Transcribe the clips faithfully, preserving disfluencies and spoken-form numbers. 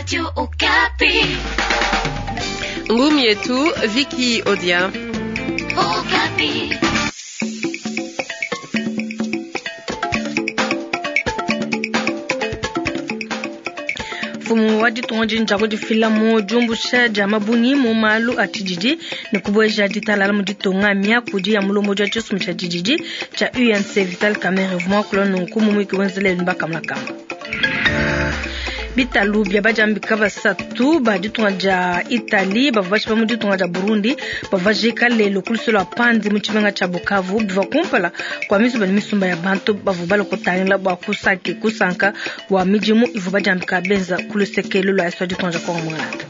Radio Okapi. Ngumi yetu Vicky Odia. Okapi. Mfumu wa ditunga dia kudifila mu diumbusha dia mabungi mu malu a tshididi ne kubueja ditalala mu ditunga miakudi ya mulombodi wa tshisumbu tshia tshididi tshia U N C Vital Kamerhe uvua muakula nunku mu muyuki wenzela lelu bakamulakamba. Bitalu bia badiambika basatu ba ditunga dia Italie bavua bashipa mu ditunga dia Burundi bavua bajika lelu ku luseke lua Panzi mu tshimenga tshia Bukavu bivua kumpala kua misumba ne misumba ya bantu bavua balua kutangila bua kusaki kusanka bua midimu ivua badiambika benza ku luseke lua Est wa ditunga dia Kongo Mwangalata.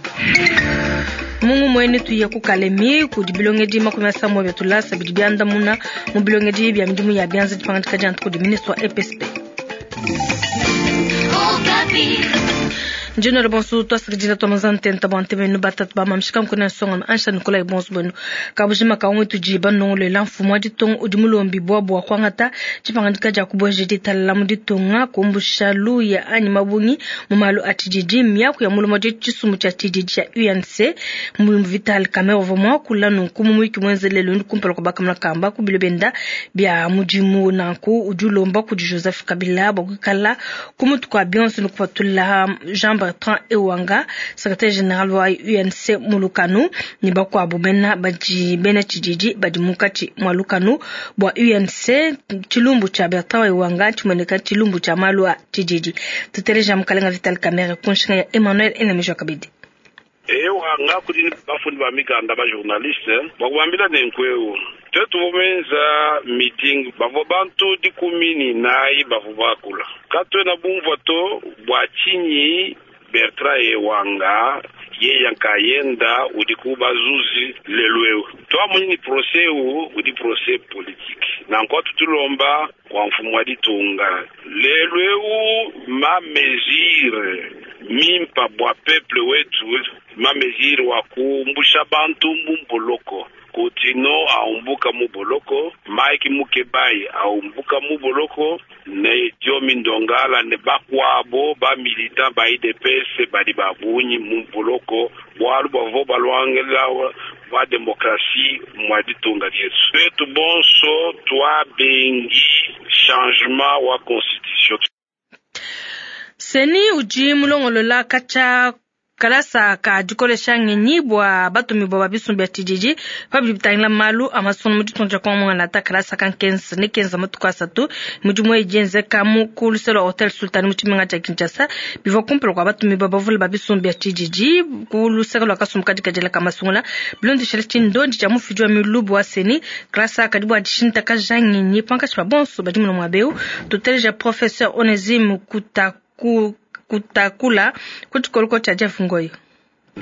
Mungu mwene tuye ku Kalemi kudi bilongedi makumi asambombo bia tulasa bidi biandamuna mu bilongedi bia midimu ya bianza dipangadika dia ntuku di ministre wa E P S P. Njino bonso twasakidila twa mazantenta bwa ntebenu batatu ba mamshika nkuna nsonga ansha Nikolai bonso bwenu kabujima ka umwe tudi banongolela mfumu wa ditunga udi mulombi bwa bwa kwangata dipangadika dia kubueja ditalala mu ditunga kumbusha luya anyi mabungi mu malu a tshididi miaku ya mulomo wa tshisumbu tshia tshididi tshia U N C mu Vital Kamerhe uvua muakula nunku mu muyuki muenzelelu ndi kumpala kwa bakamuna kamba ku bilo benda bia mudimu nanku udi ulomba kudi Joseph Kabila bwa kuikala ku mutu kwa bionso ne kupatula Jean Bertrand Ewanga secrétaire général wa U N C Mulukanu ne bakuabu bena badi bena tshididi badi munkatshi mwa lukanu bua U N C tshilumbu tshia Bertrand Ewanga tshimueneka tshilumbu tshia malu a tshididi. Tuteleja mukalenga Vital Kamerhe ku nshinga ya Emmanuel Enemejwa Kabidi. Ewanga kudi bafundi ba mikanda ba journaliste bakubambila nenkweu twetu bomenza meeting bavua bantu dikumi ni nayi bavua bakula katwena bumvua to bua tshinyi Bertrand Ewanga yeya nkayenda udi kubazuzi lelu twamunyi ni procès u udi procès politique nanko tutulomba kwa mfumu wa ditunga lelu eu ma mesure mimpa bwa peuple wetu ma mesure wa kumbusha bantu mumboloko Kutino aumbuka muboloko Mike Mukebai aumbuka muboloko ne Diomi Ndongala ne bakwabo ba militant ba I D P S badi babunyi muboloko bwalu bavo balwangela wa demokrasi mwa ditunga dietu twetu bonso twa bengi changement wa constitution. Seni udi mulongolola kacha kalasa ka dikolesha ngenyi bua batumi bua babisumbi bia tshididi pabidi bitangila malu a masungu mu ditunga dia Kongo Mwangalata kalasa ka nkenza ne kenza matuku asatu mudimu eyi yenzeka mu ku luseke lua Hotel Sultan mu tshimenga tshia Kinshasa bivua kumpala kua batumi bua bavule babisumbi bia tshididi ku luseke lua kasumbu kadi kadiela ka masungula bilondeshela tshindondi tshia mufidi wa milubu wa seni kalasa kadi bua dishintakaja ngenyi pankatshi pa bonso badi muna muaba eu tuteleja professeur Onesime Kutaku kutakula kutshikoloko tshia Jeff Ngoyo.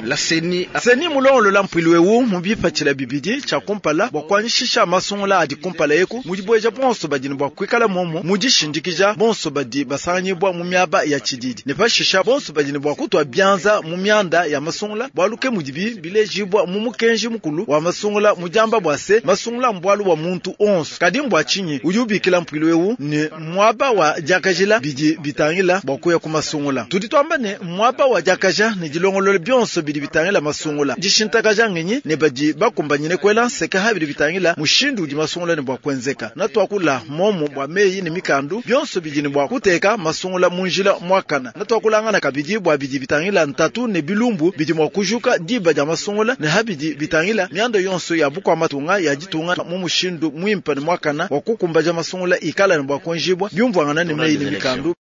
La seni seni mulongolola mpwilu ewu mubipatshila bibidi tshia kumpala bua kuanyishisha masungula adi kumpala eku mudibueja bonso badi ne bua kuikala momo mudishindikija bonso badi basanganyibwa mu miaba ya tshididi ne pashisha bonso badi ne bua kutua bianza mu mianda ya masungula bualu ke mudibi bilejibwa mu mukenji mukulu wa masungula mudiamba bua se masungula mbualu bua muntu onso kadi mbua tshinyi udi ubikila mpwilu ewu ne muaba wa diakajila bidi bitangila bua kuya ku masungula tudi tuamba ne muaba wa diakaja ne dilongolola bionso bidi bitangila masungula dishintakaja ngenyi ne badi bakumbanyine kwela nseka habidi bitangila mushindu udi masungula ne bua kuenzeka na tuakula momo bua meyi ne mikandu bionso bidi ne bua kuteka masungula mu njila muakana na tuakulangana kabidi bua bidi bitangila ntatu ne bilumbu bidi mua kujuka diba dia masungula ne habidi bitangila mianda yonso ya bukua matunga ya ditunga mu mushindu muimpe ne muakana wa kukumbaja masungula ikala ne bua kuenjibwa biumvuangana ne meyi ne mikandu.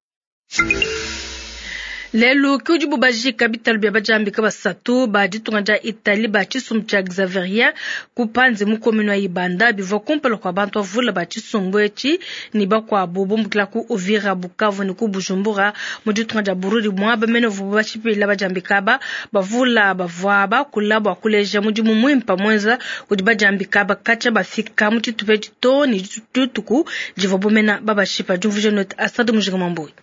Lelu ki udi bubajika bitalu bia badiambika basatu ba ditunga dia Italie ba tshisumbu tshia Xaveria ku Panzi mu commune wa Ibanda bivua kumpala kua bantu bavule ba tshisumbu etshi ne bakuabu bumbukila ku Uvira, Bukavu ne ku Bujumbura mu ditunga dia Burundi muaba mene uvuabu bashipila badiambika aba bavula bavua bakula bua kuleja mudimu muimpe muenza kudi badiambika aba katshia bafika mu tshitupa etshi too ne dituku divuabu mena babashipa. Diumvuija note Asad Mujinga Mambuyi.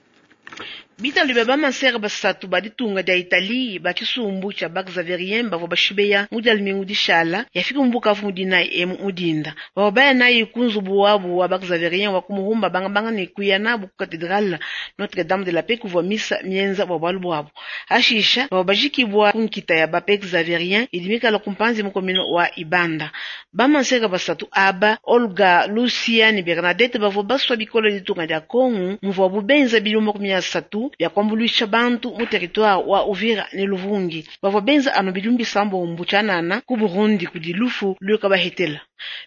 Bitalu bya bamansere basatu ba ditunga dia Italie ba tshisumbu tshia ba Xavierien bavua bashibeya mu dia lumingu dishala yafika mu Bukavu mu dinayi emu mu dinda. Bavua baya nayi ku nzubu wabu wa ba Xavierien wa kumuhumba bangabanga ne kuya nabu ku katedrale Notre Dame de la Paix kuvua misa mienza bua bualu buabu. Ashisha bavua bajikibua ku nkita ya ba Xavierien idi mikala ku mpanzi mu komino wa Ibanda. Bamansere basatu aba Olga, Lucia ne Bernadette bavua basua bikolo ditunga dia Kongo muvuabu benza bidimu makumi asatu bya kuambuluisha bantu mu territoire wa Uvira ne Luvungi. Bavua benza anu bidimu bisambombo tshianana ku Burundi kudi lufu luka bahetela.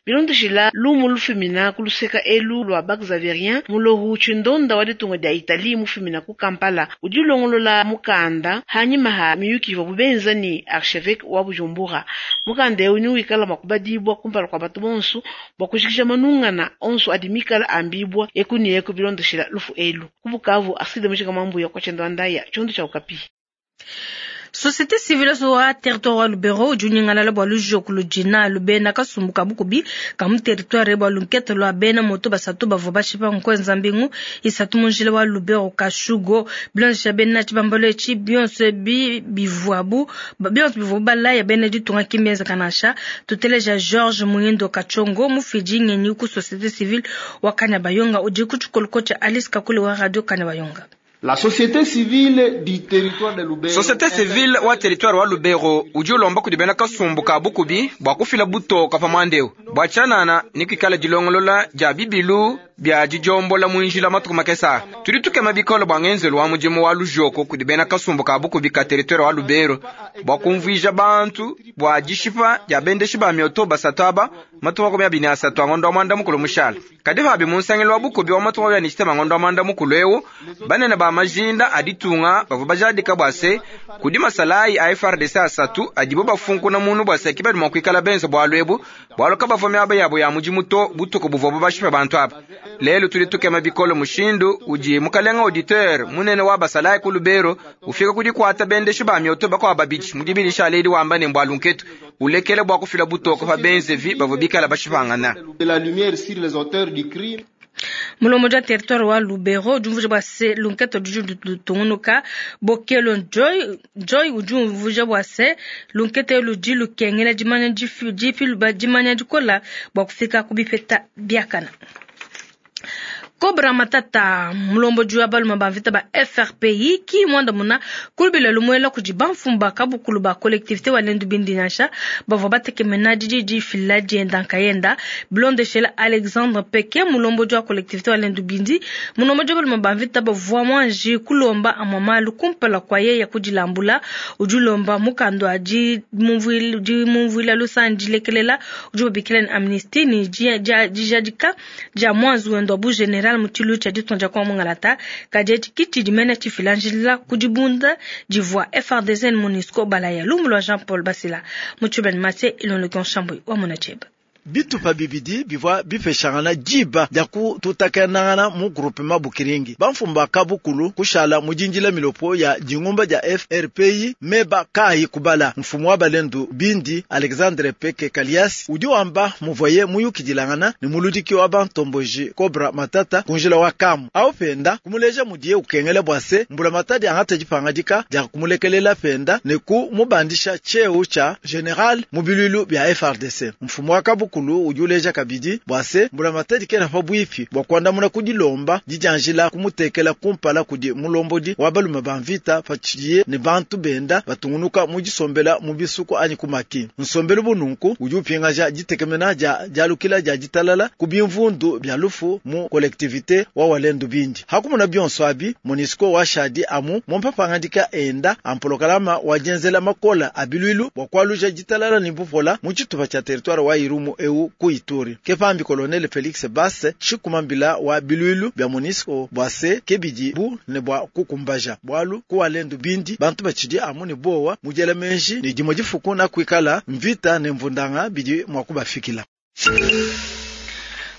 Bilondeshila lumu lufumina ku luseka elu lua ba Xavierien mulohu tshindonda wa ditunga dia Italie mufumina ku Kampala udi ulongolola mukanda hanyima ha miyuki ivua benza ni archevêque wa Bujumbura. Mukanda eu ni wikala makubadibwa kumpala kwa batu bonso bua kushikisha manungana onso adi mikala ambibwa eku ni eku bilondeshila lufu elu. Ku Bukavu aside mushika mambu ya kwa chendo andaya chondo cha Okapi. Société civile wa territoire wa Lubero udi unyingalala bua lujoku ludina lubena kasumbu ka bukubi ka mu territoire bua lunkete lua bena moto basatu bavua bashipa nkuenza mbingu isatu mu njila wa Lubero Kashugo bilongesha bena tshibambalo etshi bionso bi bivuabu bionso bivua balaya bena ditunga kimbienza kanasha tuteleja George Muindo Kachongo mufidi ngenyi ku société civile wa Kanyabayonga udi ku tshikoloko tshia Alice Kakule wa radio Kanyabayonga. La société civile du territoire de Lubero. Société civile wa territoire wa Lubero udi ulomba kudi bena kasumbu ka bukubi bua kufila butoka pa mwandeu bua tshianana ni kuikala dilongolola dia bibilu bia dijombola mu njila matuku makesa. Tudi tukema bikolo bua ngenzelu wa mudimu wa lujoko kudi bena kasumbu ka bukubi ka territoire wa Lubero bua kumvuija bantu bua dishipa dia bendeshi ba mioto basatu aba matuku makumi abiri asatu a ngondo wa mwanda mukulu mushala. Kadi pabi mu nsangelu wa bukubi wa matuku makumi abiri ne ngondo wa mwanda mukulu eu banene ba majinda aditunga bavua bajadika bua se kudi masalayi a F R D C asatu adibo bafunkuna munu bua se kibadi mua kuikala benza bualu ebu bualu kabavua miaba yabo ya mudimu to butuku buvua bashipa bantu aba. Lelo tudi tukema bikolo mushindu udi mukalenga auditeur munene wa basalayi ku Lubero ufika kudi kuata bendeshi ba mioto bakwa babidi mudibilisha aledi wamba ne mbwalu nketu ulekele bua kufila butoko pa benzevi bavua bikala bashipangana. La lumière sur les auteurs du crime. Mulomo ja territoire wa Lubero udi umvuija bua se lunketo ludi lutungunuka bokelo Joy Joy udi umvuija bua se lunkete ludi lukengela dimanya difi dimanya dikola bua kufika ku bipeta biakana. Cobra Matata mulomboji wa baluma ba mvita ba F R P I ki mwanda muna kulubila lumwela kudi bamfumba kabukulu ba collectivité wa Lendu Bindi nansha bavua batekemena didi fila dienda nkayenda bilondeshela Alexandre Peke mulomboji wa collectivité wa Lendu Bindi mulomboji wa baluma ba mvita bavua mwanji kulomba amwamalu kumpala kwa yeye kudilambula udi ulomba mukando adi mumvuila lusanji lekelela udi babikila ni amnistie ni dijadika dia mwanzu wendo bu general mutilu cha ditonja kwa mungalata kajeti kiti dimene chifilanjila kudibunda divwa F R D C MONUSCO balaya lumulwa Jean-Paul Basila muchuben mate ilon le chambo wa monacheba bitupa bibidi bivua bipeshangana diba dia kututakanangana mu groupement Bukiringi bamfumba kabukulu kushala mujinjila milopo ya dingumba dia F R P I meba kai kubala mfumu wa balendu bindi Alexandre Peke Kalias udi wamba muvoye muyukidilangana ni muludiki wa bantomboji Cobra Matata kunjila wa kamu au penda kumuleja mudiye ukengele bwase mbula matadi angata dipangadika dia kumulekelela penda ne ku mubandisha cheo cha general mubilulu bya F R D C mfumu wa kabukulu kulu ujuleja kabidi bwase mbula matadi kena pa bwipi bwa kuandamuna kudilomba dijanjila kumutekela kumpala kudi mulombodi wa balume ba mvita patshiye ne bantu benda batungunuka mujisombela mu bisuku anyi kumaki nsombelu bununku udi upingaja ditekemena dia dialukila dia ditalala ku bimvundu bya lufu mu collectivité wa walendu bindi hakumuna bionso abi MONUSCO wa shadi amu mompapangandika enda ampolokalama wa jenzela makola abilwilu bwa kwaluja ditalala ni bupola mu tshitupa tshia territoire wa Irumu eu ku Ituri kepambi colonel Felix Basse chikumambila wa bilwilu bya MONUSCO bwase kebidi bu ne bwa kukumbaja bwalu ku walendu bindi bantu bachidi amu ne bowa mujela menji ni dimo difuku na kuikala mvita ne mvundanga bidi mwa kubafikila.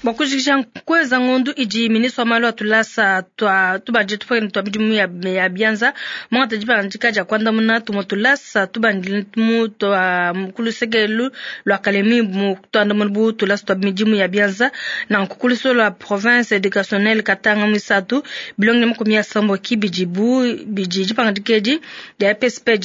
Bua kujikija kueza ngondu idi ministre wa malu a tulasa twa tubandile tupakene twa midimu ya, ya bianza muangata dipangadika dia kuandamuna tumue tulasa tubandile mu twa kuluseke lua Kalemi mu tuandamuna bu tulasa twa midimu ya bianza nanku kuluso lua province educationnelle Katanga muisatu bilongi makumi asambo kibidi bu bidi dipangadika edi dia P S P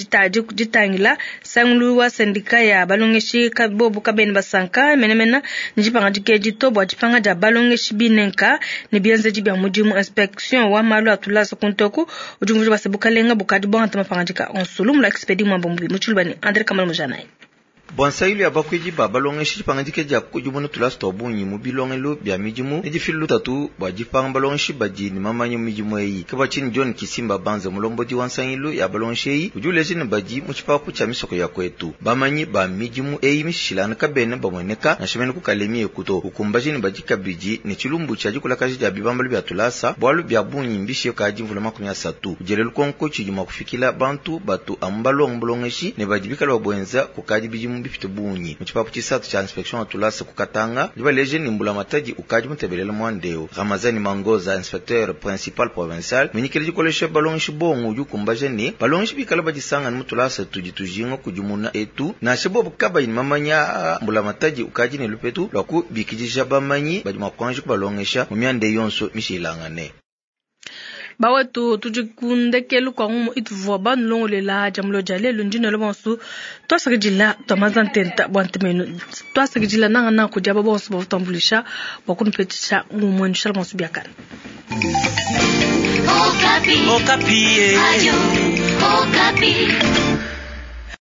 ditangila sangulu wa sendika ya balongeshi bobu kabeni basanka menemena ni dipangadika edi to bua dipanga dia balongeshi binenka ne bienzedi bia mudimu. Inspection wa malu a tulasa kuntoku udi umvuija base bukalenga bukadi buangata mapangadika onso lumu lua Expedi Mwamba Mubi mu tshiluba ne Andre Kamal Mujanayi. Bua nsailu ya bakuidi ba balongeshi dipangadika dia kukudimuna tulasa twa bungi mu bilongelo bia midimu ne difilu lutatu bua dipanga balongeshi badi ne mamanya mu midimu eyi. Ke bua tshinyi John Kisimba Banza mulombodi wa nsailu ya balongeshi eyi udi uleja ne badi mu tshipapu tshia misoko ya kwetu. Bamanyi ba midimu eyi mishilangane kabena bamueneka nansha mene ku Kalemi ekuto. Ukumbaje ne badi kabidi ne tshilumbu tshia dikulakaja dia bibambalu bia tulasa bualu bia bungi mbishe kadi mvula makumi asatu. Udiele lukonko tshidi mua kufikila bantu batu amu balonga bulongeshi ne badi bikala babuenza kukadi bidimu bipite bungi. Mu tshipapu tshisatu tshia inspection ya tulasa ku Katanga dibaleje ni mbula matadi ukadi mutebelela mwandeo. Ramazani Mangoza inspecteur principal provincial minyikile dikolesha balongeshi bongo udi ukumbaja ne balongeshi bikala badisangana mu tulasa tudi tujinga kudimuna etu nansha bobu kabayi ne mamanya mbula matadi ukadi ne lupetu lwa kubikidija bamanyi badi mua kuanji kubalongesha mu mianda yonso mishilangane. Bawetu tudi kundekelu kwa ngumu ituvua banulongolela jamulo dia lelu ndine bonso twasakidila twamaza ntenta bua ntemenu twasakidila nanga na kudia ba bonso bavutambulisha bua kunupetisha ngumu enu shala bonso biakana. Okapi. Okapi. Ayo, Okapi.